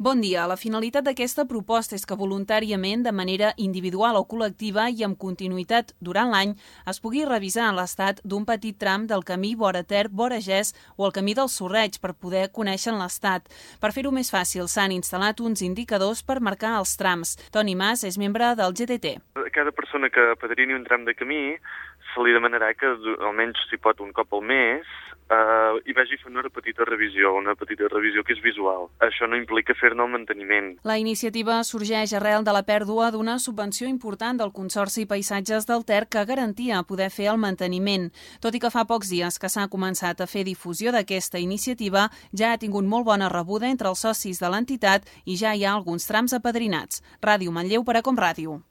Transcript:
Bon dia. La finalitat d'aquesta proposta és que voluntàriament, de manera individual o col·lectiva i amb continuïtat durant l'any, es pugui revisar l'estat d'un petit tram del camí vora Ter, vora Ges o el camí del Sorreig per poder conèixer l'estat. Per fer-ho més fàcil, s'han instal·lat uns indicadors per marcar els trams. Toni Mas és membre del GDT. A cada persona que padrini un tram de camí se li demanarà que almenys, si pot, un cop al mes hi vagi a fer una petita revisió que és visual. Això no implica fer-ne el manteniment. La iniciativa sorgeix arrel de la pèrdua d'una subvenció important del Consorci Paisatges del Ter que garantia poder fer el manteniment. Tot i que fa pocs dies que s'ha començat a fer difusió d'aquesta iniciativa, ja ha tingut molt bona rebuda entre els socis de l'entitat i ja hi ha alguns trams apadrinats. Ràdio Manlleu per a Com Ràdio.